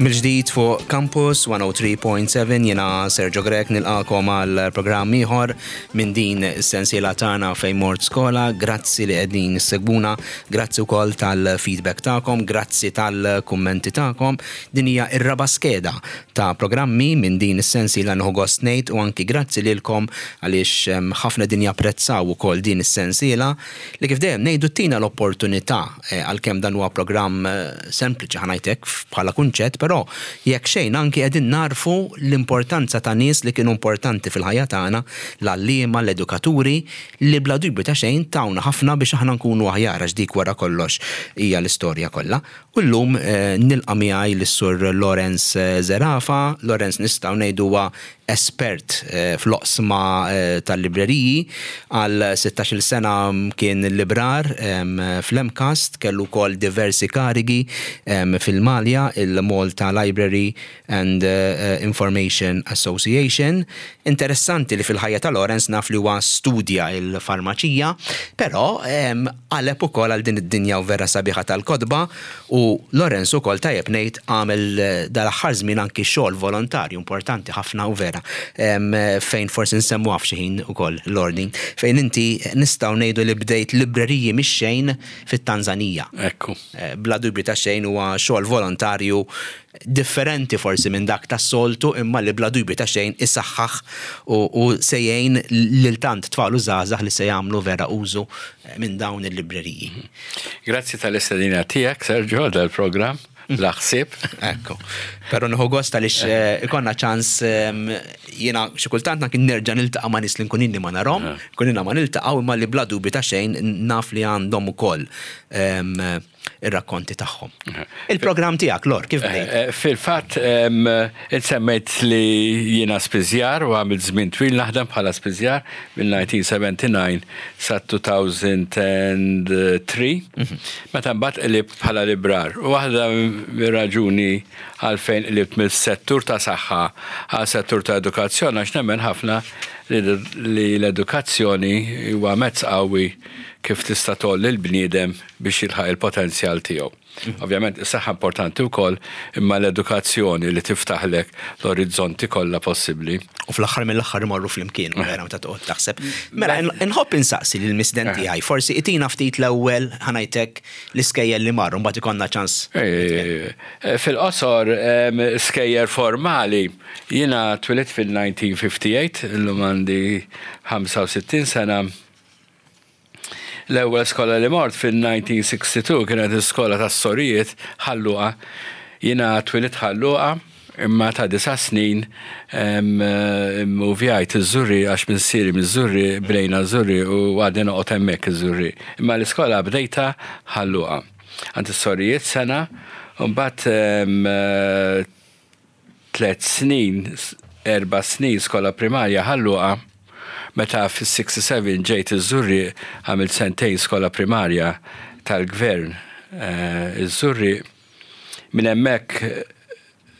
Mill-ġdid fuq Campus 103.7 jiena Sergio Grech nilqakom għal programm ieħor minn din is-sensiela tagħna fejn mort skola. Grazzi li qegħdin issegwuna, grazzi wkoll tal-feedback tagħkom, grazzi tal-kummenti tagħkom. Din hija r-raba' skeda ta' programmi minn din is-sensiela nieħu gost ngħid u anki grazzi lilkom għaliex ħafna qegħdin japprezzaw ukoll din is-sensiela li kif dejjem ngħidu ttina l-opportunità għalkemm dan huwa programm sempliċi ħa ngħid hekk bħala kunċett, però jekk xejn anki qegħdin nagħrfu l-importanza ta' nies li kienu importanti fil-ħajja tagħna, l-għalliema, l-edukaturi, li bla dubju ta' xejn tawna ħafna biex aħna nkunu aħjar għax dik wara kollox hija l-istorja kollha. U llum nilqa' miegħi lis-Sur Lawrence Zerafa. Lawrence nistgħu ngħidu huwa espert fl-oqsma tal-libreriji. Għal sittax-il sena kien librar fl-MCAST, kellu wkoll diversi karigi fil-Malja, il-Malta Library and Information Association. Interessanti li fil-ħajja ta' Lawrence naf li huwa studja l-farmaċija, però qaleb ukoll għal din id-dinja u vera sabiħa tal-kotba u Lawrence ukoll tajjeb ngħid għamel dal-aħħar żmien anki xogħol volontarju importanti ħafna u vera fejn forsi nsemmuha f'xi ħin ukoll Lordi fejn inti nistgħu ngħidu li bdejt libreriji mix-xejn fit-Tanzanija. Ekku. Bla dubju ta' xejn huwa xogħol volontarju differenti forsi minn dak tas-soltu imma li bla dubju ta' xejn isaħħaħ u se jgħin lil tant tfal u żgħażagħ li se jagħmlu vera użu minn dawn il-libreriji. Grazzi tal-istedina tiegħek, Sergio, għal dal-programm bla ħsieb. Ekku. Però nieħu gost għaliex eh, ikonna ċans ehm, jiena xi kultant kien nerġa' niltaqa' ma' nies li nkun inni ma narhom, eh. nkun inna ma niltaqgħu imma li bla dubju ta' xejn naf li għandhom ukoll ehm, ir-rakkonti tagħhom. Il-programm tiegħek, Lor, kif bdejt? Eh, eh, fil-fatt, insemmejt li jiena spiżjar u għamilt żmien twil naħdem bħala spiżjar mill-1979 sa 2003, mhm. meta mbagħad qlibt bħala librar. U waħda mir-raġuni għalfejn qlibt mill-settur ta' saħħa għal settur ta' edukazzjoni għax nemmen ħafna li l-edukazzjoni huwa mezz qawwi kif tista' tgħolli l-bniedem biex jilħaq il-potenzjal tiegħu. Ovvjament is-saħħa importanti wkoll, imma l-edukazzjoni li tiftaħlek l-orizzonti kollha possibbli. U fl-aħħar mill-aħħar imorru flimkien, vera meta toqgħod taħseb. Mela, inħobb insaqsi lil misden eh. tiegħi, forsi itina ftit l-ewwel ħanajtek l-iskejjel li marru, mbagħad ikollna ċans. Eh, eh, fil-qosor, skejjer formali, jiena twilit fil-1958, illum għandi 65 sena. L-ewwel skola li mort fil-1962 kienet l-iskola tas-sorijiet Ħal Luqa. Jiena twilidt Ħal Luqa imma ta' disa' snin immuvjajt iż-Żurrieq għax missieri miż-Żurrieq, bnejna ż-Żurrieq u għadni noqgħod hemmhekk iż-Żurrieq. Imma l-iskola bdejtha Ħal Luqa. Għand is-sorijiet sena u mbagħad Tliet snin, erba' snin skola primarja Ħal Luqa. Meta fis-67 ġejt iż-Żurrieq għamilt sentejn skola primarja tal-Gvern iż-Żurrieq. Minn hemmhekk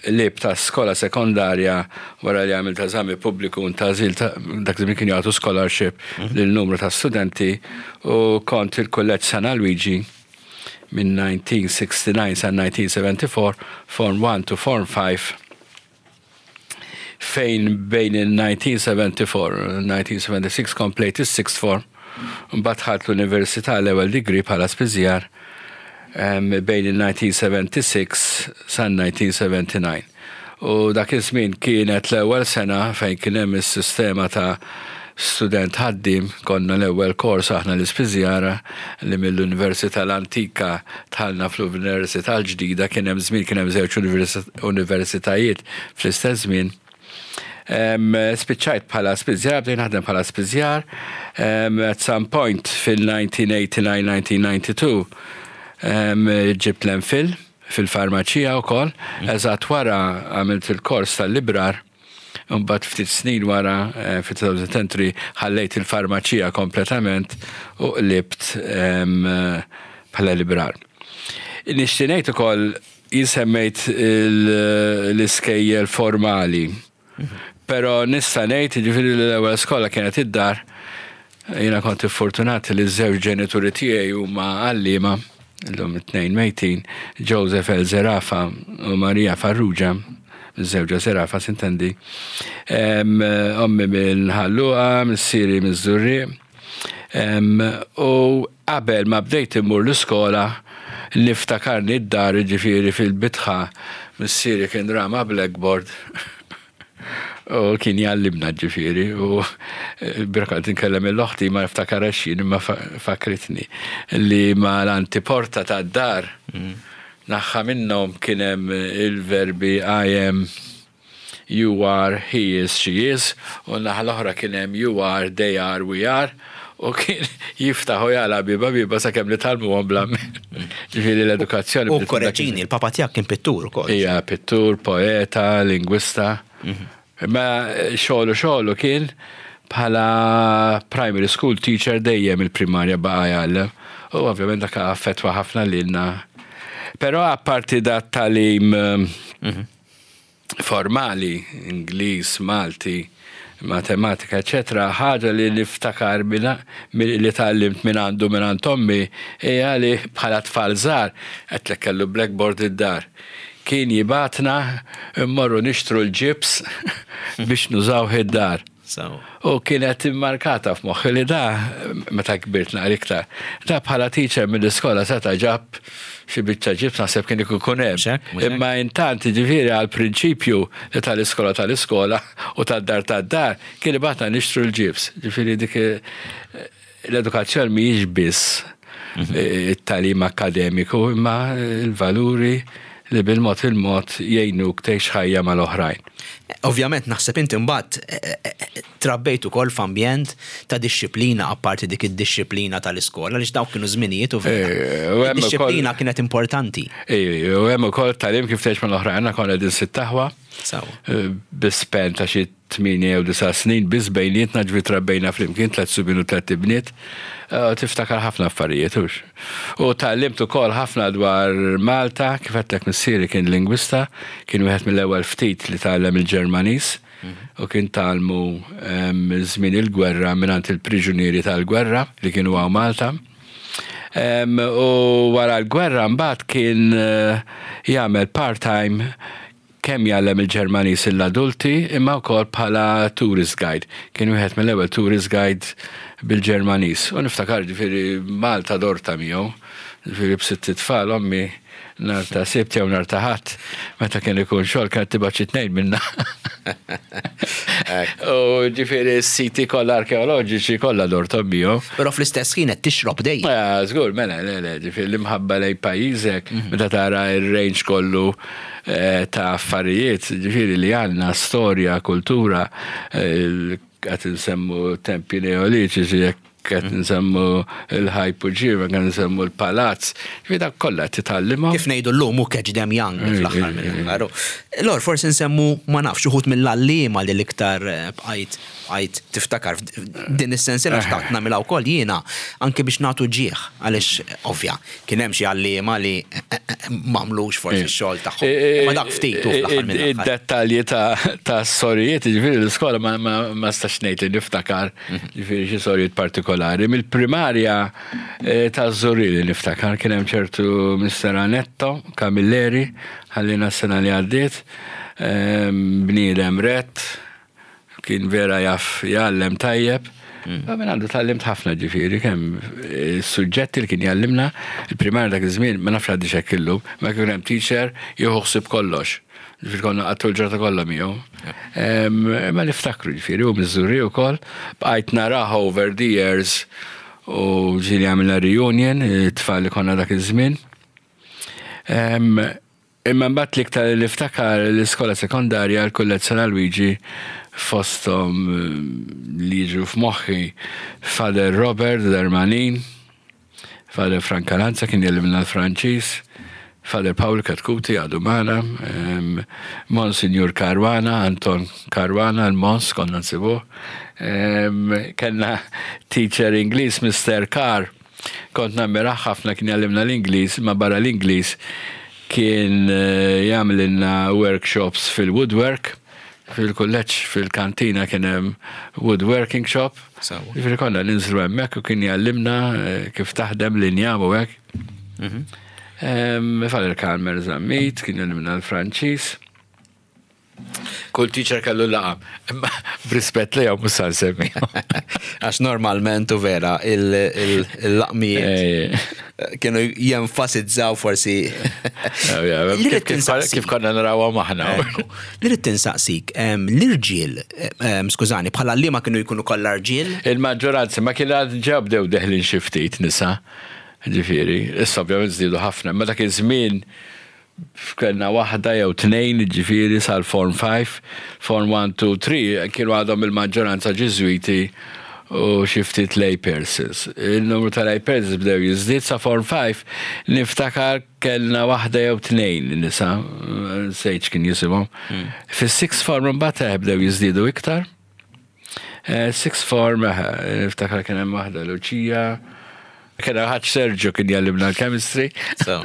qlibt għas-skola sekondarja wara li għamilt eżami pubbliku u ntgħażilt, dak iż-żmien kienu jagħtu scholarship lil numru ta' studenti u kont il-Kulleġġ San Alwiġi. minn 1969 sa 1974, Form 1 to Form 5, fejn bejn il-1974 u 1976 komplejt is-sixth form, mbagħad dħalt l-università l-ewwel degree bħala spiżjar bejn il-1976 sa 1979. U dak iż-żmien kienet l-ewwel sena fejn kien hemm is-sistema ta' student ħaddiem, konna l-ewwel kors aħna l-ispiżjara li mill-Università l-antika dħalna fl-Università l-ġdida, kien hemm żmien kien hemm żewġ universitajiet fl-istess żmien. Spiċċajt bħala spiżjar, bdejt naħdem bħala spiżjar. At some point fil-1989-1992 ġibt l-MPhil fil-farmaċija wkoll. Eżatt wara għamilt il-kors tal-librar. Imbagħad ftit snin wara, eh, fi-2003, ħallejt il-farmaċija kompletament u qlibt bħala librar. Nixtieq ngħid ukoll jien semmejt l-iskejjel formali. Però nista' ngħid jiġifieri li l-ewwel skola kienet id-dar. Jiena kont iffortunat li ż-żewġ ġenituri tiegħi huma għalliema. Illum it-tnejn mejtin, Joseph L. Zerafa u Maria Farrugia, miżżewġa Zerafa sintendi. Ommi minn Ħal Luqa, missieri miż-Żurrieq. U qabel ma bdejt immur l-iskola, niftakarni d-dar, jiġifieri fil-bitħa, missieri kien rama blackboard. U kien jgħallimna ġifieri u l-bieraħ kont inkellem lil oħti ma niftakarhax jien imma fakkritni li ma l-antiporta tad-dar naħħa minnhom kien hemm il-verbi I am, you are, he is, she is u n-naħa l-oħra kien hemm you are, they are, we are u kien jiftaħ u jagħlaq bieba bieba sakemm nitgħallmuhom bl-amment. Ġifieri l-edukazzjoni. U korreġini, il-papa tiegħek kien pittur ukoll. Ija, pittur, poeta, lingwista. Imma xogħlu xogħlu kien bħala primary school teacher dejjem il-primarja baqa' jgħallem. U ovvjament dak affettwa ħafna lilna. Però apparti dat tagħlim formali, Ingliż, Malti, Matematika, eċċetera, ħaġa li niftakar li tgħallimt minn għandu minn għand ommi hija li bħala tfal żgħar, għedtlek kellu blackboard id-dar, kien jibgħatna mmorru nixtru l-ġibs biex nużawh id-dar. U kienet immarkata f'moħħi li da, meta kbirt naqra iktar, da bħala teacher mill-iskola seta' ġab xi biċċa ġibs naħseb kien ikun hemm. Imma intant jiġifieri għall-prinċipju li tal-iskola tal-iskola u tad-dar tad-dar kien ibgħatna nixtru l-ġibs. Ġifieri dik l-edukazzjoni mhijiex biss it-tagħlim akkademiku imma l-valuri li bil-mod il-mod jgħinuk tgħix ħajja mal-oħrajn. Ovvjament naħseb inti mbagħad trabbejt ukoll f'ambjent ta' dixxiplina apparti dik id-dixxiplina tal-iskola għaliex dawk kienu żminijiet u vera. Id-dixxiplina kienet importanti. U hemm ukoll tagħlim kif tgħix mal-oħrajn, aħna konna qegħdin sitt aħwa. Bi span ta' xi tmienja jew disa' snin biss bejnietna, ġifieri trabbejna flimkien, tliet subien u tlett ibniet. Tiftakar ħafna affarijiet, hux? U tgħallimt ukoll ħafna dwar Malta, kif għedtlek missieri kien lingwista, kien wieħed mill-ewwel ftit li tgħallem il-Ġermaniż u kien tgħallmu żmien il-gwerra mingħand il-priġunieri tal-gwerra li kienu hawn Malta. U wara l-gwerra mbagħad kien jagħmel part-time kemm jgħallem il-Ġermaniż lill-adulti imma wkoll bħala tourist guide. Kien wieħed mill-ewwel tourist guide bil-Ġermaniż. U niftakar ġifieri Malta dorta miegħu, ġifieri b'sitt itfal ommi nhar ta' Sibt jew nhar ta' Ħadd meta kien ikun xogħol kienet tibgħat xi tnejn minna. U ġifieri s-siti kollha arkeoloġiċi kollha dorthom miegħu. Però fl-istess ħin qed tixrob dejjem. Ah, żgur, mela, le, le, ġifieri l-imħabba lejn pajjiżek, meta tara r-range kollu ta' affarijiet, ġifieri li għandna storja, kultura, qed insemmu tempji neolitiċi, jekk qed nsemmu l-ħajpuġiva, qed nsemmu l-palazz, ġifieri dak kollha qed titgħallimhom. Kif ngħidu llum hu catch them young fl-aħħar mill-aħħar. Lor, forsi nsemmu ma nafx uħud mill-għalliema li l-iktar bqajt bqajt tiftakar din is-sensiela xtaqt nagħmilha wkoll jiena anke biex nagħtu ġieħ għaliex ovvja kien hemm xi għalliema li m'għamlux forsi x-xogħol tagħhom. Imma dak ftit hu fl-aħħar mill-aħħar. Id-dettalji ta' sorijiet, jiġifieri l-iskola ma nistax ngħid li niftakar jiġifieri xi sorijiet partikolari. Mill-primarja taż-Żurrieq li niftakar kien hemm ċertu Mister Anetto Camilleri, ħallina s-sena li għaddiet, bniedem rett, Kien vera jaf jgħallem tajjeb. Mm. Minn għandu tgħallimt ħafna ġifieri kemm is-suġġetti li kien jgħallimna, il-primarja dak iż-żmien ma nafx għaddi x'hekk illum, ma kien hemm teacher jieħu ħsieb kollox. Ġifieri konna qattu l-ġurnata kollha miegħu. Ma niftakru ġifieri u Miżżuri wkoll, bqajt narah over the years u ġieli għamilna reunion, it-tfal li konna dak iż-żmien. Imma mbagħad l-iktar li niftakar l-iskola sekondarja l-Kulleġġ San Alwiġi fosthom li jiġu f'moħħi Father Robert Darmanin, Father Frank Alanza kien jgħallimna l-Franċiż, Father Paul Katkuti għadu magħna, Monsinjur Caruana, Anton Caruana, l-Mons konna nsibuh. Kellna teacher Ingliż Mister Carr Kont nammirah ħafna kien jgħallimna l-Ingliż, imma barra l-Ingliż kien jagħmlilna workshops fil-woodwork. Fil-kulleġġ fil-kantina kien hemm woodworking shop. Ġifieri konna ninżlu hemmhekk u kien jgħallimna kif taħdem l-injam u hekk. Father Kalmer Zammit, kien jgħallimna l-Franċiż. Kull teacher kellu laqam, imma b'rispett lejhom mhux se nsemmihom. Għax normalment u vera il-laqmijiet kienu jenfasizzaw forsi. Kif konna narawhom aħna. Li rrid tinsaqsik, l-irġiel, skużani, bħala li ma kienu jkunu kollha rġiel? Il-maġġoranza ma kien għad ġew bdew deħlin xi ftit nisa, ġifieri, issa ovvjament żdiedu ħafna, imma dak iż-żmien Kellna waħda jew tnejn, jiġifieri sal-Form 5, Form 1, 2, 3 kienu għadhom il-maġġoranza Ġiżwiti u xi ftit lay persons. Il-numru ta' lay persons bdew jiżdied sa Form 5 niftakar kellna waħda jew tnejn nisa, nsejt x'kien jisimhom. Fis-sixth form imbagħad eh, bdew jiżdiedu iktar. Eh, sixth form, eh, niftakar kien hemm waħda Luċija. Kien hemm ħadd Sergio kien jgħallimna l-chemistry. So.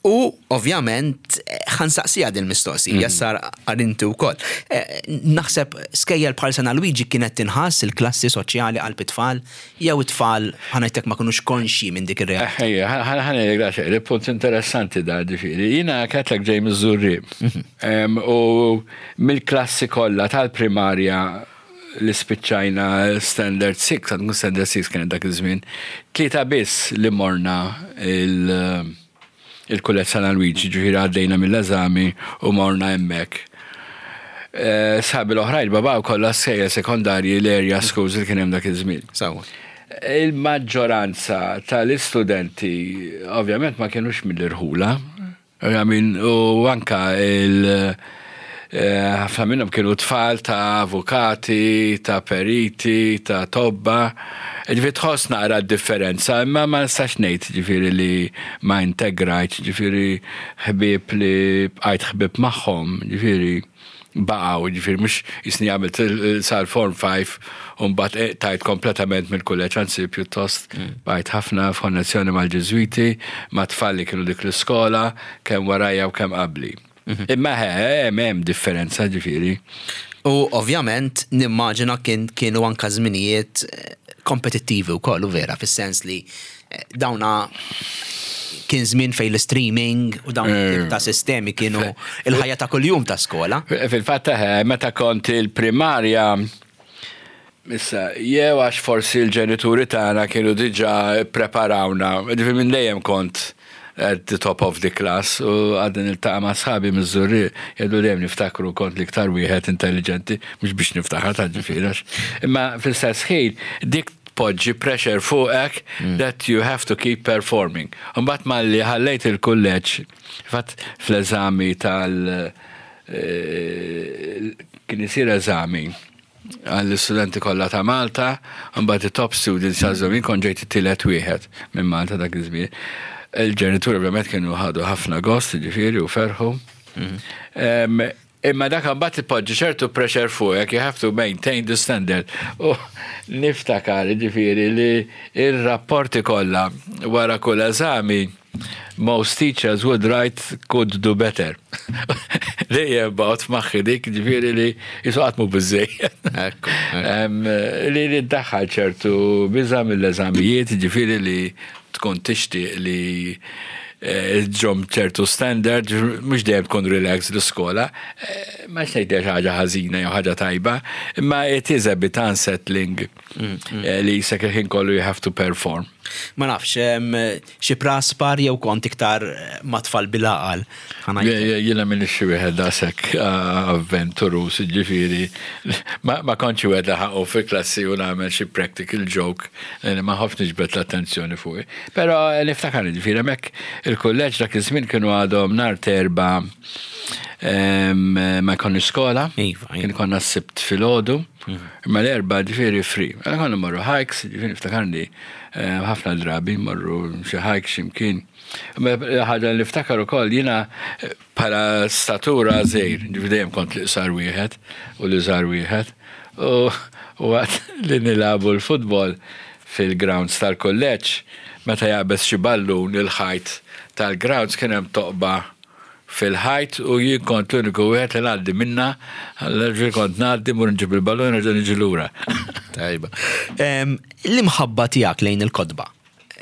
U ovvjament ħansaqsija din mistoqsija mm. sar għarinti wkoll. Eh, naħseb skejjel bħal San Luigi kienet tinħass il-klassi soċjali għal it-tfal jew it-tfal ħanajtek ma kinux konxji minn dik ir-realtà. Ejja, ħanajtek daqsxejn, punt interessanti da ġifieri. Jiena ketlek ġej miż-Żurrieq. Mhm. U Mill-klassi kollha tal-primarja li spiċċajna Standard 6, għad mhux Standard 6 kienet dak iż-żmien, tlieta biss li morna il- il-Kulleġġ San Alwiġi, ġifieri għaddejna mill-eżami u morna hemmhekk. Eh, sħabi l-oħrajn babaw kollha skejjel sekondarji l-area schools li kien hemm dak iż-żmien. Sewwa. Il-maġġoranza tal-istudenti ovvjament ma kienux mill-irħula, I mean, u anka il eh, ħafna minnhom kienu tfal ta' avukati, ta' periti, ta' tobba. Ġifieri tħoss naqra d-differenza, imma ma nistax ngħid ġifieri li ma integrajtx, ġifieri ħbieb li bqajt ħbieb magħhom, ġifieri baqgħu, jiġifieri mhux jisni għamilt sal-Form 5 u mbagħad tajt kompletament mill-kulleġġ, anzi pjuttost mm. bqajt ħafna f'konnessjoni mal-Ġiżwiti, ma' tfal li kienu dik l-iskola, kemm warajja u kemm qabli. Mhm. Imma hemm hemm differenza ġifieri. U ovvjament nimmaġina kien kienu anka żminijiet eh, kompetittivi wkoll u vera fis-sens li Dawna kien żmien fejn l-streaming u dawn it-tip ta' sistemi kienu il-ħajja ta' kuljum ta' skola. Fil-fatt eh, meta kont il-primarja Issa, jew għax forsi l-ġenituri tagħna kienu diġà ppreparawna, ġifieri minn dejjem kont at the top of the class u għadni niltaqa' ma' sħabi miż-Żurrieq jgħidu dejjem niftakru kont l-iktar wieħed intelliġenti, mhux biex niftaħar ta' ġifieri għax. Imma fl-istess ħin dik tpoġġi pressure fuqek that you have to keep performing. Imbagħad malli ħallejt il-kulleġġ, fatt fl-eżami tal kien isir eżami għall-istudenti kollha ta' Malta, imbagħad it-top students jagħżlu jien kont ġejt it-tielet wieħed minn Malta dak iż-żmien. Il-ġenituri ovvjament kienu ħadu ħafna gost, jiġifieri, u ferħu. Imma dak mbagħad ipoġġi ċertu pressure fuqek, you have to maintain the standard. U niftakar ġifieri li ir-rapporti kollha wara kull eżami most teachers would write could do better. Dejjem baqgħet f'maħħi dik ġifieri li jisu qatt mhu biżejjed. Li li ddaħħal ċertu biża' mill-eżamijiet, ġifieri li tkun tixtieq li ġom ċertu standard, mhux dejjem tkun relax l-iskola, eh, ma ngħid ħaġa ħażina jew ħaġa tajba, imma it is a bit unsettling mm, mm. Eh, li jisek il-ħin kollu you have to perform. Ma nafx, xi praspar jew kont iktar eh, ma tfal bil-għaqal. Jiena minn xi wieħed daqshekk eh, avventurus, ġifieri ma kontx wieħed li ħaqu fil-klassi u nagħmel xi practical joke ma ħafx niġbed l-attenzjoni fuqi. Però niftakar ġifieri hemmhekk il-kulleġġ dak iż-żmien kienu għadhom nhar terba ma jkollniex skola, iva, iva. kien konna s-sibt filgħodu, mhm. imma l-erba ġifieri free. Mela konna morru hikes, ġifieri niftakarni eh, ħafna drabi morru xi hikes x'imkien. Ħaġa li niftakar ukoll jiena eh, bħala statura żgħir, ġifieri dejjem kont l-iqsar wieħed u l-iżgħar wieħed. U waqt li nilagħbu l-futbol fil-grounds tal-kulleġġ, meta jaqbeż xi ballun il-ħajt tal-grounds kien hemm toqba fil-ħajt u jien kont l-uniku wieħed li ngħaddi minnha, allura ġifieri kont ngħaddi mmur nġib il-ballun nerġa' niġi lura. Tajba. L-imħabba tiegħek lejn il-kotba.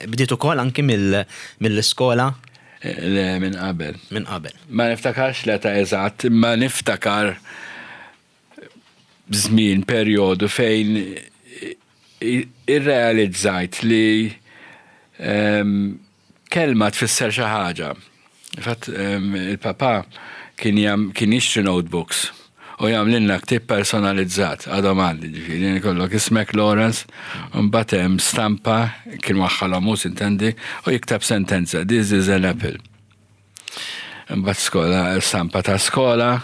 Bdiet ukoll anki mill-iskola? Le, minn qabel. Minn qabel. Ma niftakarx l-età eżatt, imma niftakar żmien, perjodu fejn irrealizzajt li kelma tfisser xi ħaġa. Fatt il-papa kien kien jixtri notebooks u jagħmlilna ktieb personalizzat, għadhom għandi ġifieri, jkollok ismek Lawrence, u mbagħad hemm stampa kien waħħalhom hu sintendi u jikteb sentenza, this is an apple. Imbagħad skola, stampa ta' skola,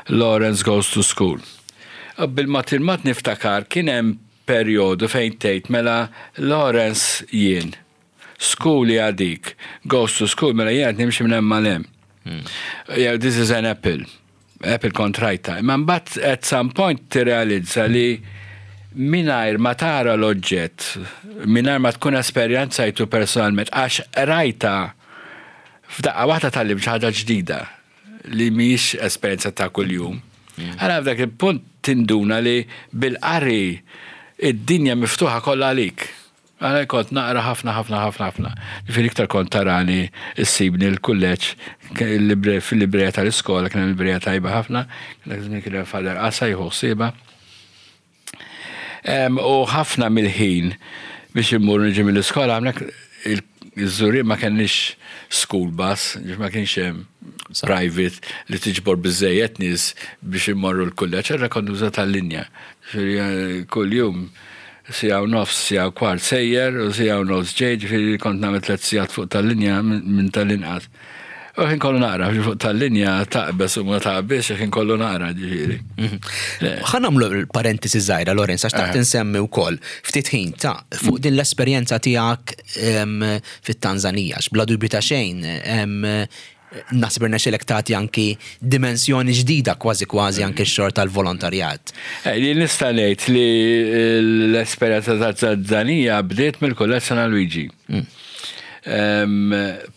Lawrence goes to school. U bil-mod il-mod niftakar kien hemm perjodu fejn tgħid mela Lawrence jien. School hija dik. Goes to school mela jien qed nimxi minn hemm għal hemm. Jew this is an apple. Apple kont rajtha. Imma mbagħad at some point tirrealizza li mingħajr ma tara l-oġġett, mingħajr ma tkun esperjenzajtu personalment, għax rajta f'daqqa waħda tgħallimt xi ħaġa ġdida li mhijiex esperjenza ta' kuljum. Għala f'dak il-punt tinduna li bil-qari id-dinja miftuħa kollha għalik. Għala kont naqra ħafna ħafna ħafna ħafna. Ġifieri iktar kont tarani issibni l-kulleġġ fil-librerija tal-iskola kien hemm librerija tajba ħafna, dak iż-żmien kien hemm Father Qasa jieħu ħsiebha. U ħafna mill-ħin biex immur niġi mill-iskola hawnhekk iż-Żurrieq ma kellniex school bus, ġifieri ma kienx hemm private li tiġbor biżżejjed nies biex immorru l-kulleġġ, allura kont nuża tal-linja. Ġifieri kuljum siegħa u nofs, siegħa u kwart sejjer u siegħa u nofs ġej, ġifieri kont nagħmel tlett sigħat fuq tal-linja minn tal-inqas. U ħin kollu naqra, fuq tal-linja taqbeż u ma taqbeż, ħin kollu naqra ġifieri. Mhm. Ħa nagħmlu parentesi żgħira Lorenz għax taħt eh. insemmi wkoll ftit ħin ta' fuq din l-esperjenza tiegħek fit-Tanzanija, bla dubju ta' xejn Naħseb irnexxielek tagħti anki dimensjoni ġdida kważi kważi anki x-xogħol tal-volontarjat. Eh, li nista' ngħid li l-esperjenza ta' Tanzanija bdiet mill-Kulleġġ San Luigi. Mm.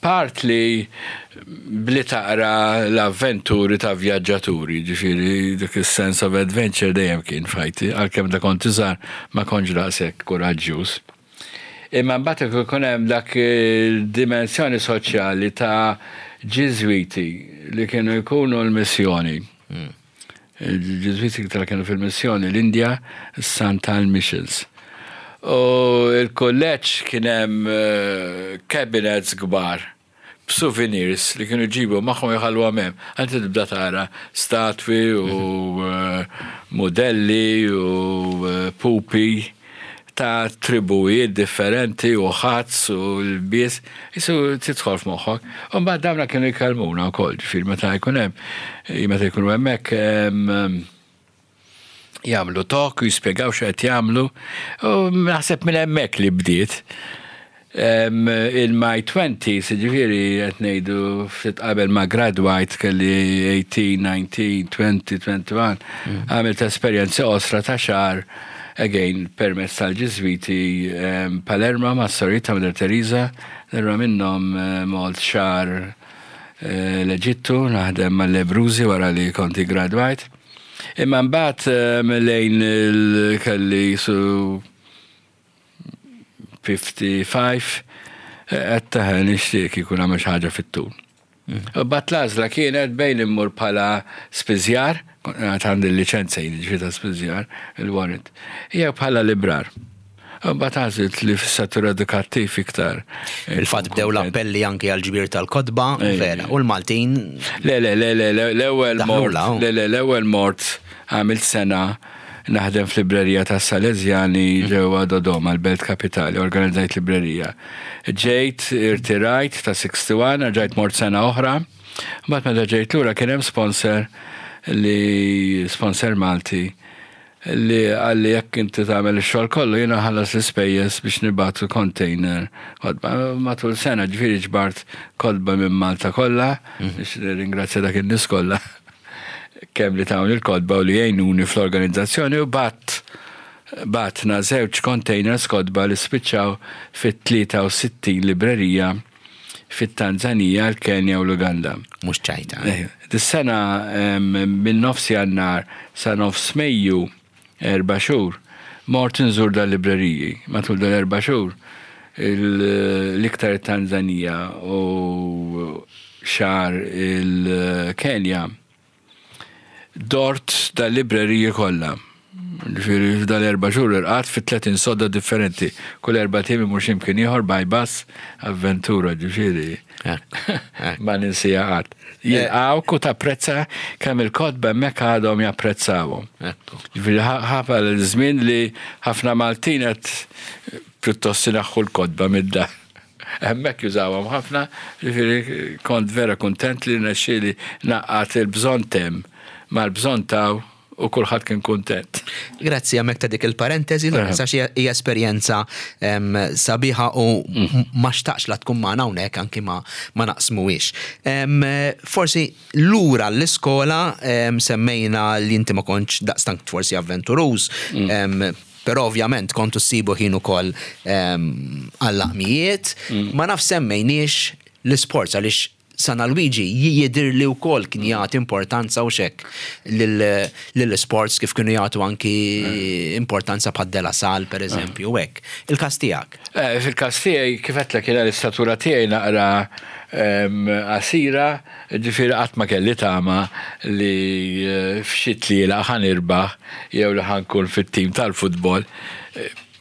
Part li bli taqra l-avventuri ta' vjaġġaturi, ġifieri dik is-sense of adventure dejjem kien fajti, għalkemm da kont iżgħar ma kontx daqshekk kuraġġjuż. Imma mbagħad ikun hemm dak il-dimensjoni soċjali ta' Ġiżwiti li kienu jkunu l-missjoni. Hmm. Il-Ġiżwiti iktar kienu fil-missjoni l-Indja, Santal Missions. U il-kulleġġ kien hemm eh, cabinets kbar b'souvenirs li kienu jġibu magħhom jħalluhom hemm. Inti tibda tara statwi u mudelli u pupi ta' tribujiet differenti u ħazz u lbies, jisu tidħol f'moħħok. U mbagħad dawna kienu jkellmuna wkoll, ġifieri meta jkun hemm, meta jkunu hemmhekk jagħmlu talk u jispjegaw x'qed jagħmlu. U naħseb minn hemmhekk li bdiet. In my 20s, ġifieri qed ngħidu ftit qabel ma gradwajt kelli 18, 19, 20, 21, għamilt esperjenza qosra ta' xahar again permezz tal-Ġiżwiti Palermo ma' sorijiet ta' Mother Teresa, darba minnhom mort xahar eh, l-Eġittu naħdem mal-Lebrużi wara li kont iggradwajt. Imma mbagħad lejn kelli su 55 qed taħ nixtieq kieku nagħmel xi ħaġa fit-tul. Mm. Bat l-għażla kienet bejn immur bħala spiżjar, għandi l-liċenza jien ġifieri ta' spiżjar, il-warrant, jew bħala librar. Mbagħad għażilt li fis-settur edukattiv iktar. Il-fatt bdew l-appelli anki għal ġbir tal-kotba, vera, u l-Maltin. Le, le, le, le, l-ewwel mort, le, le, l-ewwel mort għamilt sena naħdem f'librerija tas Salesjani mm. ġewwa Dodoma, l-belt kapitali, organizzajt librerija. Ġejt, irtirajt ta' 61, ġejt mort sena oħra. Mbagħad meta ġejt lura kien hemm sponsor li sponsor Malti li qalli jekk inti tagħmel ix-xogħol kollu jiena nħallas l-ispejjeż biex nibagħtu container kotba. Matul sena ġifieri ġbart kotba minn Malta kollha, mhm. biex nirringrazzja dak in-nies kollha kemm li tawni l-kotba u li jgħinuni fl-organizzazzjoni u bat batna żewġ containers kotba li spiċċaw fit-63 librerija fit-Tanzanija, l-Kenja u l-Uganda. Mhux ċajta. Eh, dis-sena minn nofs Jannar sa nofs Mejju, erba' xhur, mort inżur dal-libreriji. Matul dal-erba' xhur l-iktar it-Tanzanija u xahar il-Kenja, dort dal-libreriji kollha. Ġifieri f'dal-erba' xhur irqadt fi 30 sodda differenti. Kull erbat ijiem immur xi mkien ieħor by bus, avventura ġifieri ma ninsiha qatt. Jilqgħuk u tapprezza kemm il-kotba hemmhekk għadhom japprezzawhom. Ġifieri ħafna l-żmien li ħafna Maltin qed pjuttost inaħħu l-kotba mid-dar. Hemmhekk jużawhom ħafna, ġifieri kont vera kuntent li rnexxieli ngħaqqad il-bżonn t'hemm mal-bżonn t'hawn u kulħadd kien kuntent. Grazzi hemmhekk ta' dik il-parentesi, Lawrence, għax hija esperjenza sabiħa u ma xtaqx la tkun magħna hawnhekk anki ma naqsmuhiex. Forsi lura l-iskola semmejna li inti ma kontx daqstant forsi avventuruż, però ovvjament kontu ssibu ħin ukoll għall-laqmijiet. Ma nafx semmejniex l-isports għaliex San Alwiġi jidhirli wkoll kien jagħti importanza u x'hekk lill-isports kif kienu jagħtu anki importanza bħad De La Salle pereżempju u hekk. Il-każ tiegħek? Fil-każ tiegħi kif għedtlek jiena l-istatura tiegħi naqra qasira, ġifieri qatt ma kelli tama li f'xi tlielaq ħa nirbaħ jew li ħa nkun fit-tim tal-futbol.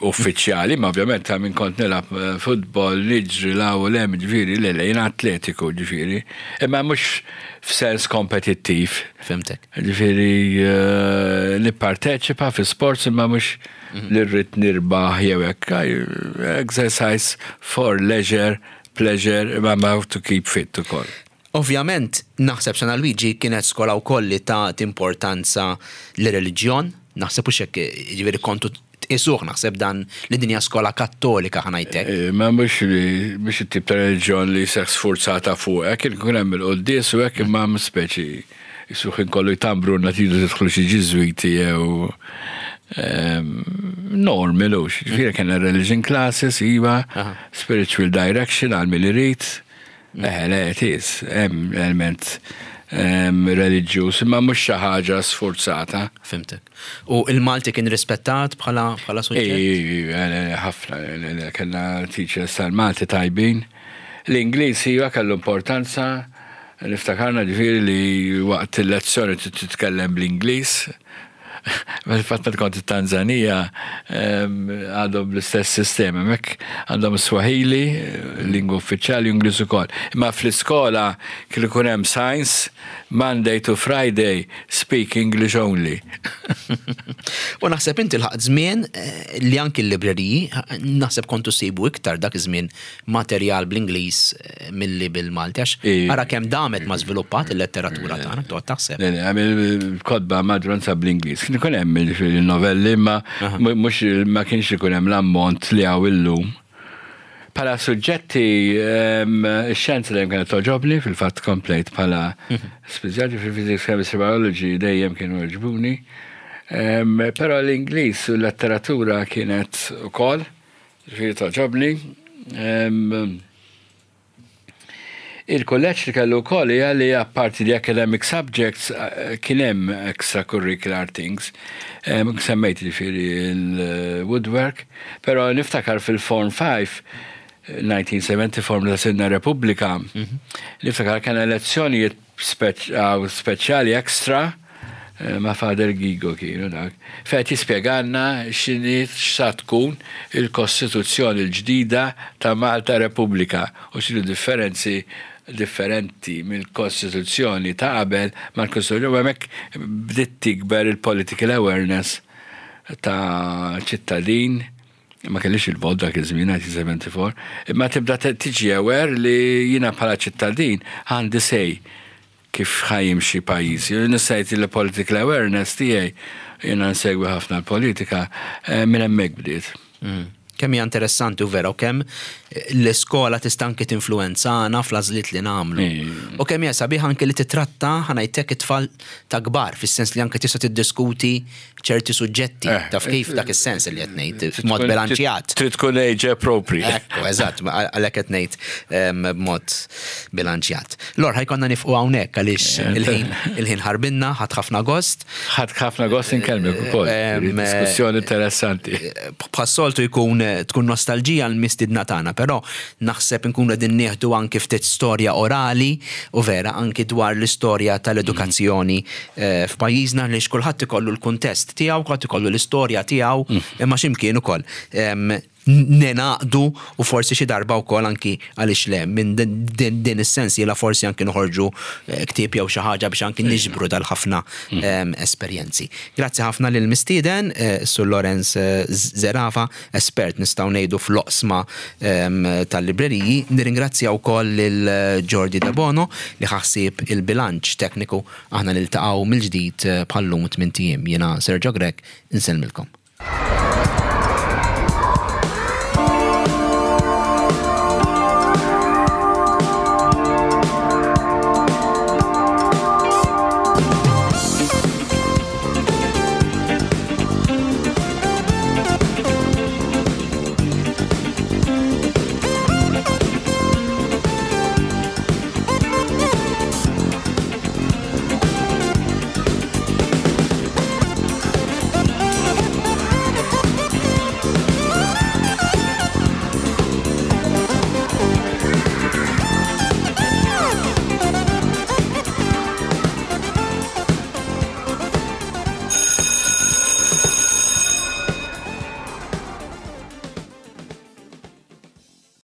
uffiċjali, imma ovvjament ta' min kont nilgħab eh, futbol, niġri la u lem, ġifieri, le le, jiena atletiku, ġifieri, imma mhux f'sens kompetittiv. Fimtek. Ġifieri eh, nipparteċipa fi sports imma mhux mhm. li rrid nirbaħ jew hekk. Exercise for leisure, pleasure, imma ma to keep fit ukoll. Ovvjament, naħseb San Alwiġi kienet skola wkoll li tat importanza lir-reliġjon, naħseb hux hekk, jiġifieri kontu tqisuh naħseb dan li din hija skola Kattolika ħa ngħid hekk. Ma mhux li mhux it-tip ta' reliġjon li jseħħ sfurzata fuqek, kien ikun hemm il-quddies u hekk imma speċi qisu ħin kollu jtambrulna tridu tidħlu xi Ġiżwiti jew normal hux. Ġifieri kellna religion classes iva, spiritual direction għal min irid. Eħe, le, it is, hemm element reliġjuż, imma mhux xi ħaġa sfurzata. Fimtek. U il-Malti kien rispettat bħala bħala suġġett? Ħafna, kellna teachers tal-Malti tajbin. L-Ingliż iva kellu importanza, niftakarna ġifieri li waqt il-lezzjoni titkellem bl-Ingliż. Fil-fatt meta kont it-Tanzanija għadhom bl-istess sistema, hemmhekk għandhom Swahili, lingwa uffiċjali, u Ingliż ukoll. Imma fl-iskola kien ikun hemm science, Monday to Friday, speak English only. U naħseb inti lħaqt żmien eh, li anki l-libreriji, naħseb kontu ssibu iktar dak iż-żmien materjal bl-Ingliż milli bil-Malti għax ara kemm damet ma żviluppat il-letteratura tagħna toqgħod taħseb. Le, le, il-kotba maġġoranza bl-Ingliż. Kien ikun hemm il-novelli imma mhux ma kienx ikun hemm l-ammont li hawn illum. Bħala suġġetti ix-xjenza dejjem kienet togħġobni, fil-fatt komplejt bħala mhm. speċjali fil-physics, chemistry, biology dejjem kienu jogħġbuni. Però l-Ingliż u l-letteratura kienet ukoll. Ġifieri togħġobni. Il-kulleġġ li kellu wkoll hija li apparti li academic subjects eh, kien hemm extracurricular things. Semmejt ġifieri il-woodwork, però niftakar fil-Form 5 1974 meta sirna Repubblika, mhm. niftakar kien lezzjonijiet speċjali extra eh, ma' Father Gigo kienu dak, fejn qed jispjegalna x'inhi x'sa tkun il-Kostituzzjoni l-ġdida ta' Malta Repubblika u x'inhu differenzi differenti mill-Kostituzzjoni ta' qabel mal-Kostituzzjoni u hemmhekk bdiet tikber il-political awareness ta' ċittadin ma kellix il-vot dak iż-żmien 1974, imma tibda tiġi aware li jiena bħala ċittadin għandi say kif ħa jimxi pajjiżi. Nista' ngħid li political awareness tiegħi jiena nsegwi ħafna l-politika eh, minn hemmhekk bdiet. Mm. Kemm hija interessanti u vera u kemm l-iskola tista' anki tinfluwenzana fl-għażliet li nagħmlu. U kemm hija sabiħ anki li titratta ħanajtek it-tfal ta' kbar, fis-sens li anke tista' tiddiskuti ċerti suġġetti, eh, taf kif dak is-sens li qed ngħid, b'mod bilanċjat. Trid tkun age appropriate. Ekku, eżatt, għalhekk qed ngħid b'mod bilanċjat. Lor, ħajkonna nifqu hawnhekk għaliex eh, il-ħin ħarbinna, ħadd ħafna gost. Ħadd ħafna gost inkellmek ukoll. Diskussjoni interessanti. Bħas-soltu jkun tkun nostalġija l-mistiedna tagħna, però naħseb inkunu qegħdin nieħdu anki ftit storja orali u vera anki dwar l-istorja tal-edukazzjoni f'pajjiżna għaliex kulħadd ikollu l-kuntest tiegħu, kulħadd ikollu l-istorja tiegħu imma xi mkien ukoll ningħaqdu u forsi xi darba wkoll anki għaliex le minn din is-sensiela forsi anki noħorġu eh, ktieb jew xi ħaġa biex anki niġbru dal-ħafna mm. ehm, esperjenzi. Grazzi ħafna lil mistieden eh, Sur Lorenz eh, Zerafa, espert nistgħu ngħidu fl-oqsma ehm, tal-libreriji. Nirringrazzja wkoll lil Jordi De Bono li ħassib il-bilanċ tekniku aħna niltaqgħu mill-ġdid bħallum tmien ijiem. Jiena Sergio Grech, insellmilkom.